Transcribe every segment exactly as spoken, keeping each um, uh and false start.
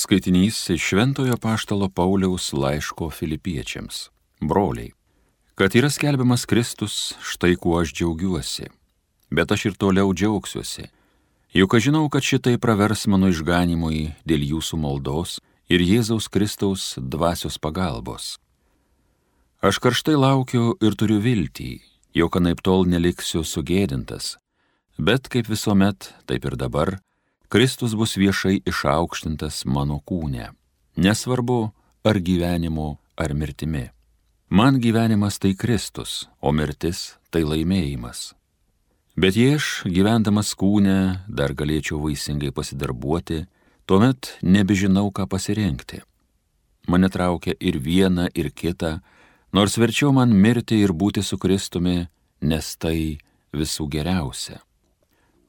Skaitinys iš Šventojo Apaštalo Pauliaus laiško Filipiečiams. Broliai, kad yra skelbiamas Kristus, štai kuo aš džiaugiuosi, bet aš ir toliau džiaugsiuosi, juk aš žinau, kad šitai pravers mano išganimui dėl jūsų maldos ir Jėzaus Kristaus dvasios pagalbos. Aš karštai laukiu ir turiu viltį, jog anaiptol neliksiu sugėdintas, bet kaip visuomet, taip ir dabar, Kristus bus viešai išaukštintas mano kūne, nesvarbu ar gyvenimu, ar mirtimi. Man gyvenimas tai Kristus, o mirtis tai laimėjimas. Bet jei aš, gyvendamas kūne, dar galėčiau vaisingai pasidarbuoti, tuomet nebežinau, ką pasirinkti. Mane traukia ir viena, ir kita, nors verčiau man mirti ir būti su Kristumi, nes tai visų geriausia.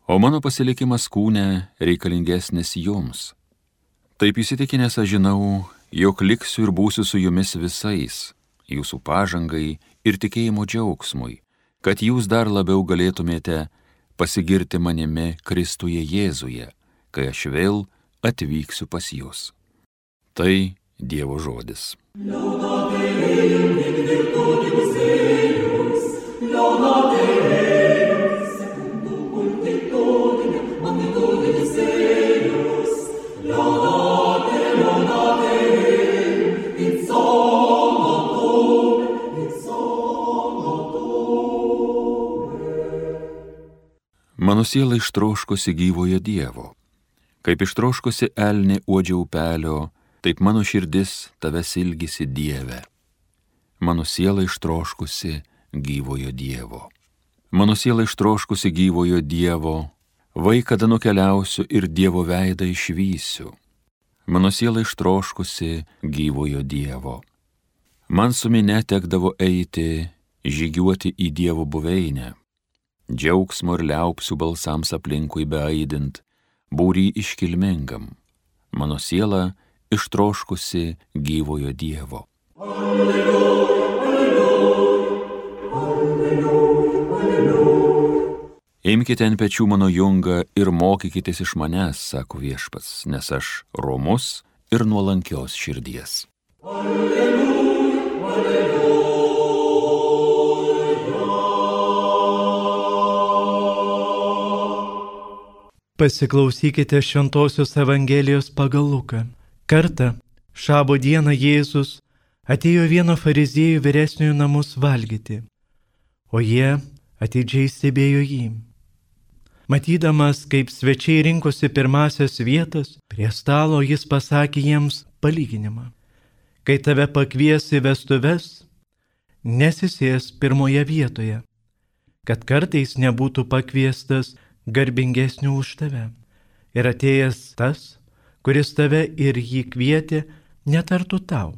O mano pasilikimas kūne reikalingesnis jums. Taip įsitikinęs aš žinau, jog liksiu ir būsiu su jumis visais, jūsų pažangai ir tikėjimo džiaugsmui, kad jūs dar labiau galėtumėte pasigirti manimi Kristuje Jėzuje, kai aš vėl atvyksiu pas jūs. Tai Dievo žodis. Mano siela ištroškusi gyvojo Dievo, kaip ištroškusi elnė uodžia upelio, taip mano širdis tavęs ilgisi Dieve. Mano siela ištroškusi gyvojo Dievo. Mano siela ištroškusi gyvojo Dievo, vai kada nukeliausiu ir Dievo veidą išvysiu. Mano siela ištroškusi gyvojo Dievo. Man su minia tekdavo eiti, žygiuoti į Dievo buveinę. Džiaugsmo ir liaupsių balsams aplinkui beaidint, būry iškilmingam. Mano siela ištroškusi gyvojo Dievo. Alleluja, alleluja, alleluja, alleluja. Imkite ant pečių mano jungą ir mokykitės iš manęs, sako Viešpats, nes aš romus ir nuolankios širdies. Alleluja, alleluja. Pasiklausykite Šventosios Evangelijos pagal Luką. Kartą, šabo dieną Jėzus atėjo vieno fariziejų vyresniųjų namus valgyti, o jie atidžiai stebėjo jį. Matydamas, kaip svečiai rinkosi pirmasias vietas, prie stalo jis pasakė jiems palyginimą. Kai tave pakvies į vestuves, nesisės pirmoje vietoje, kad kartais nebūtų pakviestas garbingesnių už tave. Ir atėjęs tas, kuris tave ir jį kvietė, netartų tau: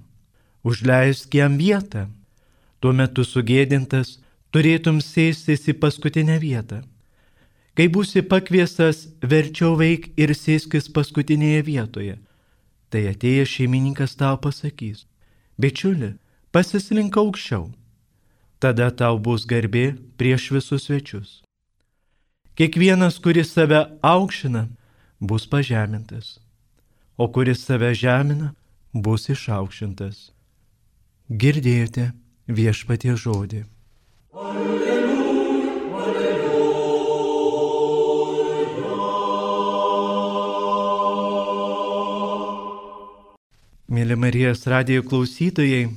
užleisk jam vietą. Tuo metu sugėdintas turėtum sėstis į paskutinę vietą. Kai būsi pakviestas, verčiau veik ir sėskis paskutinėje vietoje. Tai atėjęs šeimininkas tau pasakys: bičiuli, pasislink aukščiau. Tada tau bus garbė prieš visus svečius. Kiekvienas, kuris save aukština, bus pažemintas, o kuris save žemina, bus išaukštintas. Girdėjote Viešpaties žodį. Alleluja, alleluja. Mėly Marijos radijo klausytojai,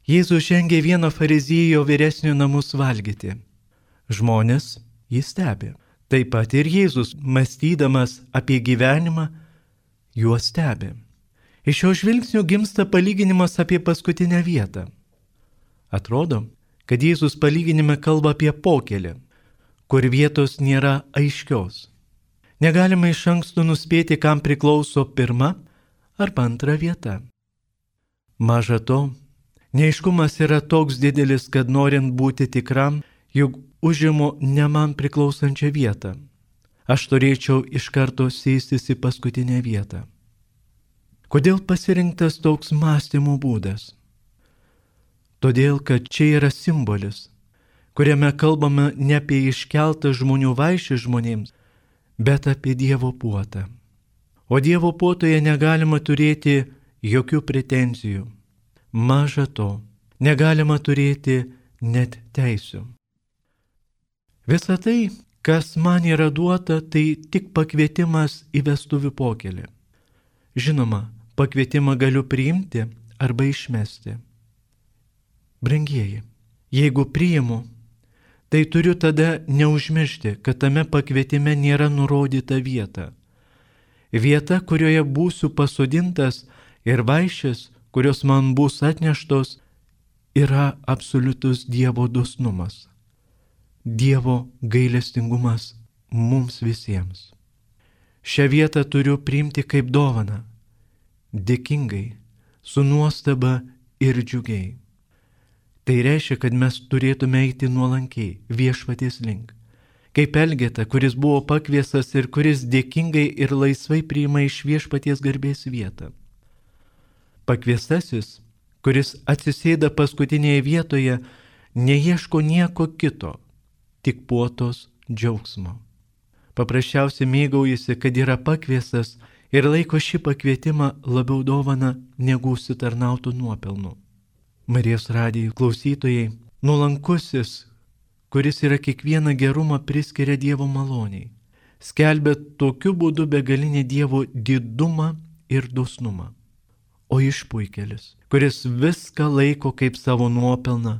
Jėzus žengė vieno fariziejo vyresnių namus valgyti. Žmonės jį stebi. Taip pat ir Jėzus, mąstydamas apie gyvenimą, juos stebi. Iš šio žvilgsnio gimsta palyginimas apie paskutinę vietą. Atrodo, kad Jėzus palyginime kalba apie pokelį, kur vietos nėra aiškios. Negalima iš anksto nuspėti, kam priklauso pirma arba antra vieta. Maža to, neaiškumas yra toks didelis, kad norint būti tikram, juk užimu ne man priklausančią vietą, aš turėčiau iš karto sėstis į paskutinę vietą. Kodėl pasirinktas toks mąstymo būdas? Todėl, kad čia yra simbolis, kuriame kalbame ne apie iškeltą žmonių vaišę žmonėms, bet apie Dievo puotą. O Dievo puotoje negalima turėti jokių pretenzijų. Maža to, negalima turėti net teisių. Visa tai, kas man yra duota, tai tik pakvietimas į vestuvių pokelį. Žinoma, pakvietimą galiu priimti arba išmesti. Brangieji, jeigu priimu, tai turiu tada neužmiršti, kad tame pakvietime nėra nurodyta vieta. Vieta, kurioje būsiu pasodintas ir vaišės, kurios man bus atneštos, yra absoliutus Dievo dosnumas. Dievo gailestingumas mums visiems. Šią vietą turiu priimti kaip dovaną, dėkingai, su nuostaba ir džiugiai. Tai reiškia, kad mes turėtume eiti nuolankiai viešpaties link. Kaip Elgeta, kuris buvo pakviestas ir kuris dėkingai ir laisvai priima iš viešpaties garbės vietą. Pakviestasis, kuris atsisėda paskutinėje vietoje, neieško nieko kito, tik puotos džiaugsmo. Paprasčiausiai mėgaujasi, kad yra pakviestas ir laiko šį pakvietimą labiau dovana negu užsitarnautų nuopelnų. Marijos radijo klausytojai, nuolankusis, kuris yra kiekvieną gerumą priskiria Dievo maloniai, skelbia tokiu būdu begalinį Dievo didumą ir dosnumą. O išpuikelis, kuris viską laiko kaip savo nuopelną,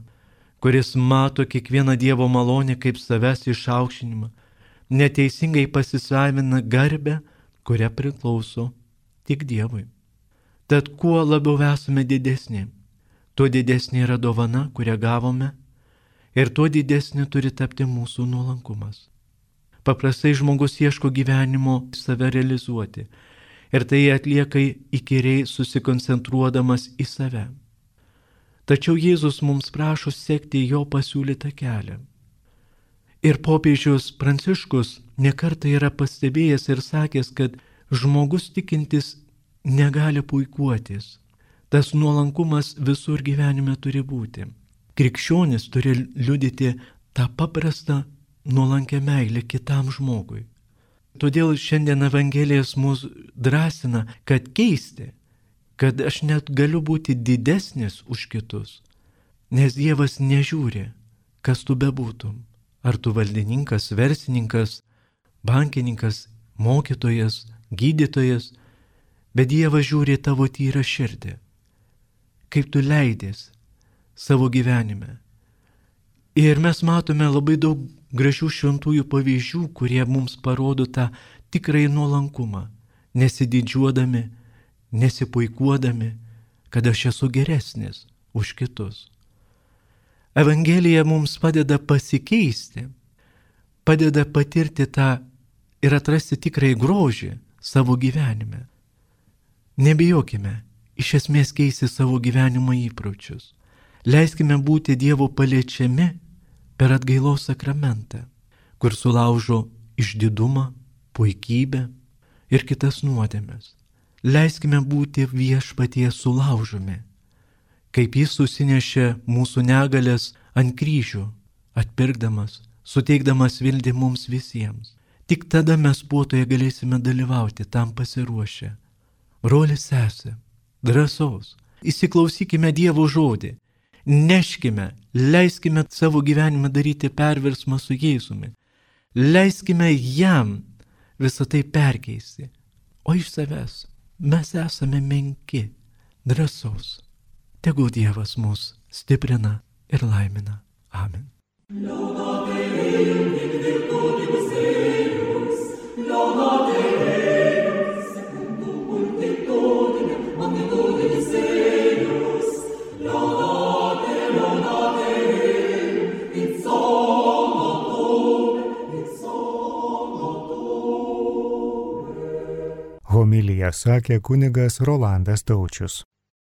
kuris mato kiekvieną Dievo malonę kaip savęs išaukštinimą, neteisingai pasisavina garbę, kuria priklauso tik Dievui. Tad kuo labiau esame didesni, tuo didesnė yra dovana, kurią gavome, ir tuo didesnė turi tapti mūsų nuolankumas. Paprastai žmogus ieško gyvenimo save realizuoti, ir tai atlieka įkyriai susikoncentruodamas į save. Tačiau Jėzus mums prašo sekti jo pasiūlytą kelią. Ir popiežius Pranciškus nekartą yra pastebėjęs ir sakęs, kad žmogus tikintis negali puikuotis. Tas nuolankumas visur gyvenime turi būti. Krikščionis turi liudyti tą paprastą nuolankę meilę kitam žmogui. Todėl šiandien Evangelijas mus drąsina, kad keisti, kad aš net galiu būti didesnis už kitus, nes Dievas nežiūri, kas tu bebūtum. Ar tu valdininkas, verslininkas, bankininkas, mokytojas, gydytojas, bet Dievas žiūri tavo tyrą širdį, kaip tu leidės savo gyvenime. Ir mes matome labai daug gražių šventųjų pavyzdžių, kurie mums parodo tą tikrąjį nuolankumą, nesididžiuodami, nesipuikuodami, kad aš esu geresnis už kitus. Evangelija mums padeda pasikeisti, padeda patirti tą ir atrasti tikrąjį grožį savo gyvenime. Nebijokime iš esmės keisti savo gyvenimo įpročius. Leiskime būti Dievo paliečiami per atgailos sakramentą, kur sulaužo išdidumą, puikybę ir kitas nuodėmes. Leiskime būti viešpaties sulaužomi, kaip jis susinešė mūsų negalės ant kryžių, atpirkdamas, suteikdamas viltį mums visiems. Tik tada mes puotoje galėsime dalyvauti tam pasiruošę. Broli sesė, drąsos, įsiklausykime Dievo žodį, neškime, leiskime savo gyvenimą daryti perversmą su Jėzumi, leiskime jam visą tai perkeisti, o iš savęs mes esame menki, drąsos. Tegul Dievas mus stiprina ir laimina. Amen. Homiliją sakė kunigas Rolandas Taučius.